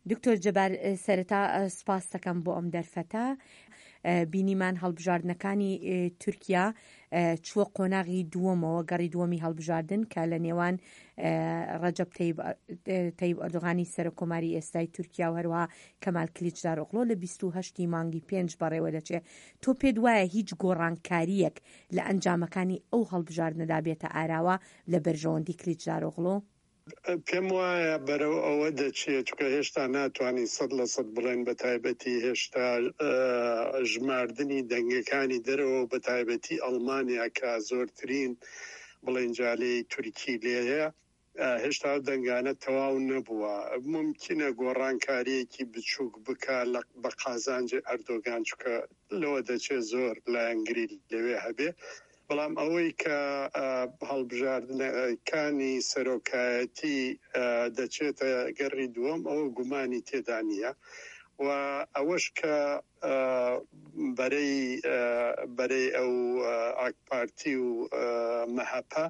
دکتۆر جەبار سەرەتا سوپاستەکەم بۆ ئەم دەرفەتە. بینیمان هەڵبژاردنەکانی تورکیا چووە قۆناغی دووەمەوە، گەڕی دووەمی هەڵبژاردن کە لە نێوان ڕەجەب تەیب ئەردۆغانی سەرۆک کۆماری ئێستای تورکیا و هەروەها کەمال کلیچدارئۆغلۆ لە 28 ی مانگی پێنج بەڕێوە دەچێ. تۆ پێت وایە هیچ گۆڕانکارییەک لە ئەنجامەکانی ئەو هەڵبژاردنەدا بێتە ئاراوە لە بەرژەوەندی کلیچدارئۆغلۆ؟ پێم وایە بەرەو ئەوە دەچێت، چونکە هێشتا ناتوانین 100% بڵێن، بە تایبەتی هێشتا ژماردنی دەنگەکانی دەرەوە و بە تایبەتی ئەڵمانیا کە زۆرترین بڵێن جالەی تورکی لێیە، هێشتا ئەو دەنگانە تەواو نەبووە. مومکینە گۆڕانکارییەکی بچووک بکا لە بە قازانجی ئەردۆگان، چونکە لەوە دەچێت زۆر لایەنگری لەوێ هەبێ. بەڵام ئەوەی کە هەڵبژاردنەکانی سەرۆکایەتی دەچێتە گەڕی دووەم ئەوە گومانی تێدا نییە و ئەوەش کە بەرەی بەرەی ئەو ئاکپارتی و مەهەپە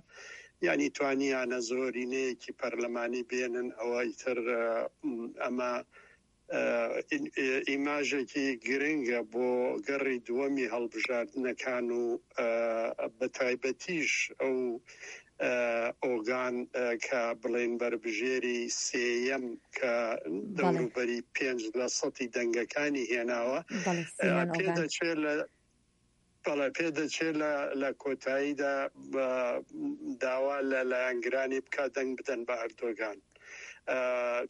یانی توانیانە زۆرینەیەکی پەرلەمانی بێنن ئەوە ئیتر ئەمە ئیماژێکی گرنگە بۆ گەڕی دووەمی هەڵبژاردنەکان و بە تایبەتیش ئەو ئۆگان کە بڵێن بەربژێری سێیەم کە دەوروبەری پێنج لە سەتی دەنگەکانی هێناوە پێدەچێت لە بەڵێ پێدەچێت لە لە کۆتاییدا داوا لە لایەنگرانی بکات دەنگ بدەن بە ئەردۆگان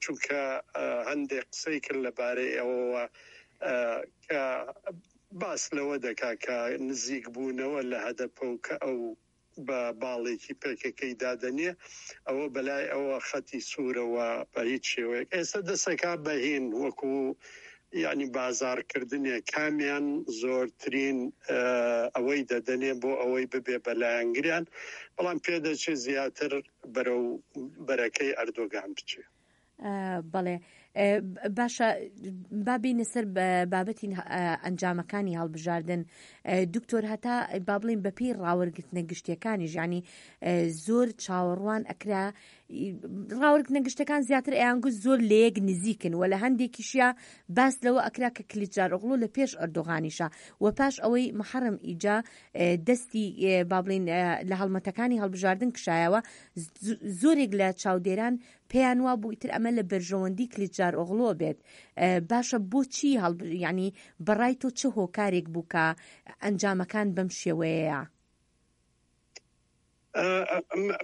چونکە هەندێک قسەی کرد لەبارەی ئەوەوە کە باس لەوە دەکات کە نزیک بوونەوە لە هەدەپە و کە ئەو بە باڵێکی پەکەکەی دادەنێ ئەوە بەلای ئەوە خەتی سوورە و بە هیچ شێوەیەک ئێستا دەسەکا بە هین وەکو یعنی بازاڕکردنێ کامیان زۆرترین ئەوەی دەدەنێ بۆ ئەوەی ببێ بە لایەنگریان بەڵام پێدەچێ زیاتر بەرەو بەرەکەی ئەردۆگان بچێ. بەڵێ باشە با بینە سەر بابەتی ئەنجامەکانی هەڵبژاردن دکتۆر هەتا با بڵین بەپی ڕاوەرگرتنە گشتیەکانی ژانی زۆر چاوەڕوان ئەکرا ڕاوەرگرتنە گشتەکان زیاتر ئەیانگوت زۆر لەیەک نزیکن و لە هەندێکیشیا باس لەوە ئەکرا کە کلیچدارئۆغڵو لە پێش ئەردۆغانیشە و پاش ئەوەی محەڕەم ئیجا دەستی با بڵین لە هەڵمەتەکانی هەڵبژاردن کشایەوە زۆرێک لە چاودێران پێیان وابوو ئیتر ئەمە لە بەرژەوەندی کلیچدارئۆغڵۆ بێت باشە بۆچی هەڵ یعنی بەڕای تۆ چ هۆکارێک بوو کە ئەنجامەکان بەم شێوەیەیە؟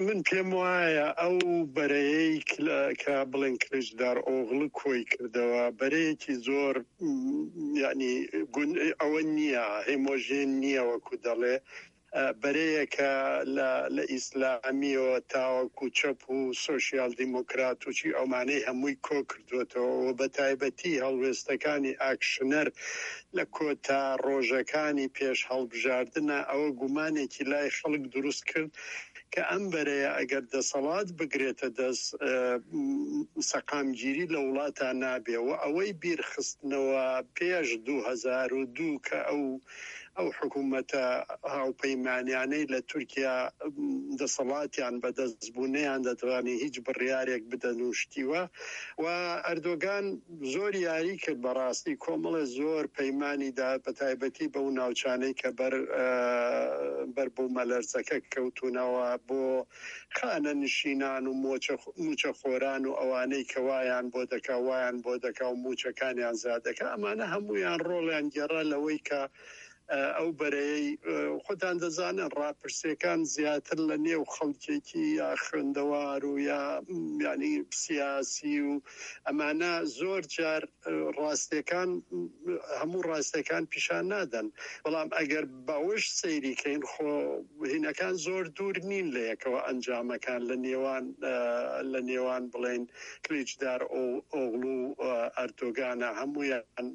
من پێم وایە ئەو بەرەیەی کە بڵێن کلیچدارئۆغڵو کۆی کردەوە بەرەیەکی زۆر یعنی ئەوە نییە هێمۆژێن نییە وەکو دەڵێ بەرەیەکە لە لە ئیسلامیەوە تاوەکو چەپ و سۆشیال دیموکرات و چی ئەومانەی هەمووی کۆ کردووەتەوە و بە تایبەتی هەڵوێستەکانی ئاکشنەر لە کۆتا ڕۆژەکانی پێش هەڵبژاردنە ئەوە گومانێکی لای خەڵک دروست کرد کە ئەم بەرەیە ئەگەر دەسەڵات بگرێتە دەست سەقامگیری لە وڵاتا نابێ و ئەوەی بیرخستنەوە پێش 2002 کە ئەو ئەو حکوومەتە هاوپەیمانیانەی لە تورکیا دەسەڵاتیان بەدەست بوو نەیاندەتوانی هیچ بڕیارێک بدەن و شتی وا و ئەردۆگان زۆر یاری کرد بەڕاستی کۆمەڵێ زۆر پەیمانی دا بەتایبەتی بەو ناوچانەی کە بەر بەر بوومەلەرزەکە کەوتوونەوە بۆ خانەنشینان و مووچەخۆران و ئەوانەی کە وایان بۆ دەکا وایان بۆ دەکا و مووچەکانیان زیاد دەکا ئەمانە هەموویان ڕۆڵیان گێڕا لەوەی کە ئەو بەرەیەی خۆتان دەزانن ڕاپرسیەکان زیاتر لە نێو خەڵکێکی یا خوێندەوار و یا یعنی سیاسی و ئەمانە زۆر جار ڕاستیەکان هەموو ڕاستیەکان پیشان نادەن بەڵام ئەگەر بەوەش سەیری کەین خۆ هینەکان زۆر دوور نین لە یەکەوە ئەنجامەکان لە نێوان لە نێوان بڵێن کلیچدار ئۆغڵو ئەردۆگانە هەموویان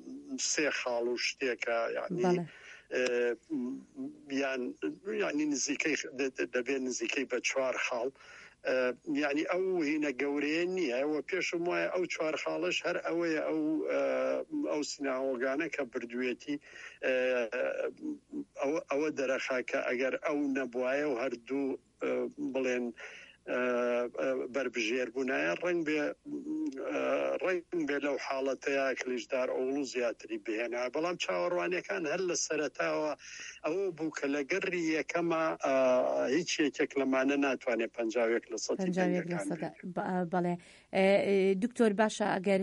سێ خاڵ و شتێکە یعنی یان یعنی نزیکەی دەبێت نزیکەی بە چوار خاڵ یانی ئەو هینە گەورەیە نییە و پێشم وایە ئەو چوار خاڵەش هەر ئەوەیە ئەو ئەو سیناهۆگانە کە بردوێتی ئەوە دەرەخا کە ئەگەر ئەو نەبوایە و هەردوو بڵێن. بەربژێر بوونایە ڕەنگ بێ ڕەنگ بێ لەو حاڵەتەیە کلیچدار ئۆغڵو زیاتری بهێنا بەڵام چاوەڕوانیەکان هەر لە سەرەتاوە ئەوە بوو کە لە گەڕی یەکەما هیچ یەکێک لەمانە ناتوانێت 51 لە سەدی دەنگەکان بەڵێ دکتۆر باشە ئەگەر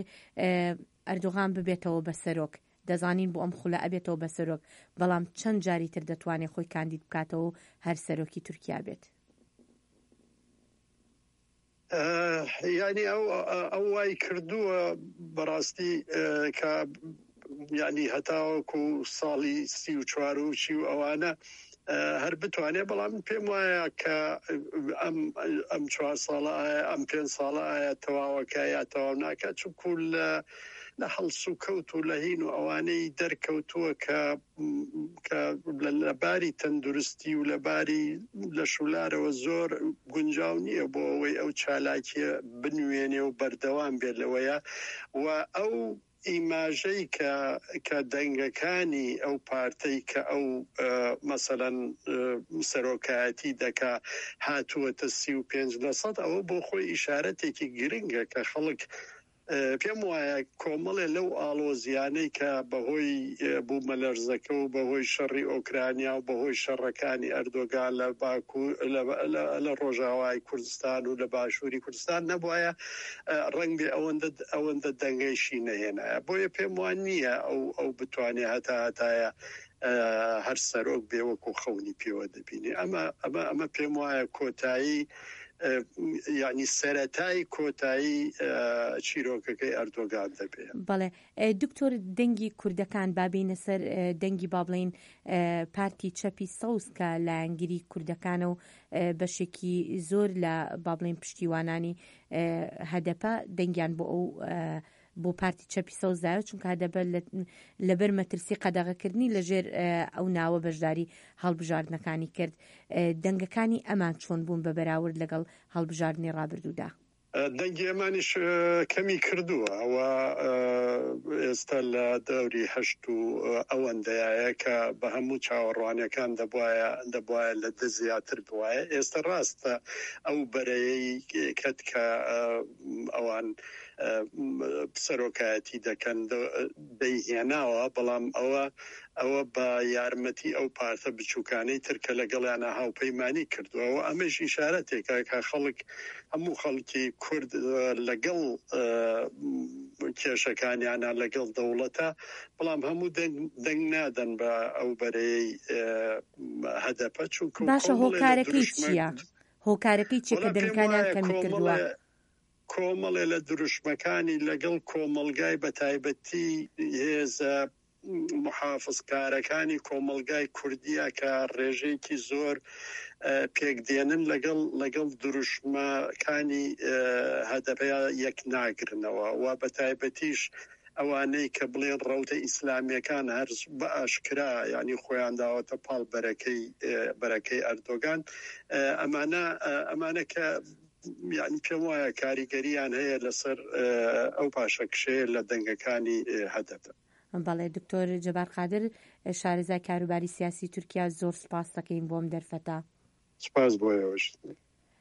ئەردۆغان ببێتەوە بە سەرۆک دەزانین بۆ ئەم خولە ئەبێتەوە بە سەرۆک بەڵام چەند جاری تر دەتوانێت خۆی کاندید بکاتەوە و هەر سەرۆکی تورکیا بێت؟ یانی ئەو ئەو وای کردووە بەڕاستی کە یعنی هەتاوەکو ساڵی 34 و چی و ئەوانە هەر بتوانێت بەڵام پێم وایە کە ئەم ئەم چوار ساڵە ئایا ئەم پێ ساڵە ئایا تەواوەکە یا تەواو ناکات چونکو لە لە هەڵسوکەوت و لە هین و ئەوانەی دەرکەوتووە کە کە لە باری تەندروستی و لە باری لەشولارەوە زۆر گونجاو نییە بۆ ئەوەی ئەو چالاکیە بنوێنێ و بەردەوام بێت لەوەیە و ئەو ئیماژەی کە کە دەنگەکانی ئەو پارتەی کە ئەو مەسەلەن سەرۆکایەتی دەکا هاتووەتە 35 لەسەد ئەوە بۆ خۆی ئیشارەتێکی گرنگە کە خەڵک پێم وایە کۆمەڵێ لەو ئاڵۆزییانەی کە بەهۆی بوومەلەرزەکە و بەهۆی شەڕی ئۆکرانیا و بەهۆی شەڕەکانی ئەردۆگان لە باکوور لە ڕۆژاوای کوردستان و لە باشووری کوردستان نەبوایە ڕەنگبێ ئەوەندە ئەوەندە دەنگەیشی نەهێنایە. بۆیە پێم وا نییە ئەو ئەو بتوانێ هەتا هەتایە هەر سەرۆک بێ وەکو خەونی پێوە دەبینێ. ئەمە ئەمە ئەمە پێم وایە کۆتایی یعنی سەرەتای کۆتایی چیرۆکەکەی ئەردۆگان دەبێ. بەڵێ دکتۆر دەنگی کوردەکان با بێینە سەر دەنگی با بڵێین پارتی چەپی سەوز کە لایەنگری کوردەکانە و بەشێکی زۆر لە با بڵێین پشتیوانانی هەدەپە دەنگیان بۆ ئەو بۆ پارتی چەپی سەوز داوە چونکە هەدەپە لەبەر مەترسی قەدەغەکردنی لەژێر ئەو ناوە بەشداری هەڵبژاردنەکانی کرد دەنگەکانی ئەمان چۆن بوون بە بەراورد لەگەڵ هەڵبژاردنی ڕابردوودا؟ دەنگی ئەمانیش کەمی کردووە و ئێستا لە دەوری هەشت و ئەوەندەیە کە بە هەموو چاوەڕوانیەکان دەبوایە دەبوایە لە دە زیاتر بوایە ئێستا ڕاستە ئەو بەرەیەی کەت کە ئەوان سەرۆکایەتی دەکەن دەیهێناوە، بەڵام ئەوە ئەوە بە یارمەتی ئەو پارتە بچووکانەی تر کە لەگەڵیانا هاوپەیمانی کردووە و ئەمەیش ئیشارەتێکە کە خەڵک هەموو خەڵکی کورد لەگەڵ کێشەکانیانە لەگەڵ دەوڵەتە، بەڵام هەموو دەنگ دەنگ نادەن بە ئەو بەرەیەی هەدەپە چونکو باشە کۆمەڵێ لە هۆکارەکەی دروشمە چییە؟ هۆکارەکەی چییە کە وەڵا پێم دەنگەکانیان وایە کەمی کردووە؟ کۆمەڵێ کۆمەڵێ لە دروشمەکانی لەگەڵ کۆمەڵگای بەتایبەتی هێزە موحافزکارەکانی کۆمەڵگای کوردیە کە ڕێژەیەکی زۆر پێک دێنن لەگەڵ لەگەڵ دروشمەکانی هەدەپە یەک ناگرنەوە و بەتایبەتیش ئەوانەی کە بڵێن ڕەوتە ئیسلامیەکان هەر بە ئاشکرا یانی خۆیان داوەتە پاڵ بەرەکەی بەرەکەی ئەردۆگان ئەمانە ئەمانە کە یانی پێم وایە کاریگەریان هەیە لەسەر ئەو پاشەکشەیە لە دەنگەکانی هەدەپە. بەڵێ دکتۆر جەبار قادر شارەزای کاروباری سیاسی تورکیا زۆر سوپاست دەکەین بۆ ئەم دەرفەتە. سوپاس بۆ ئێوەش.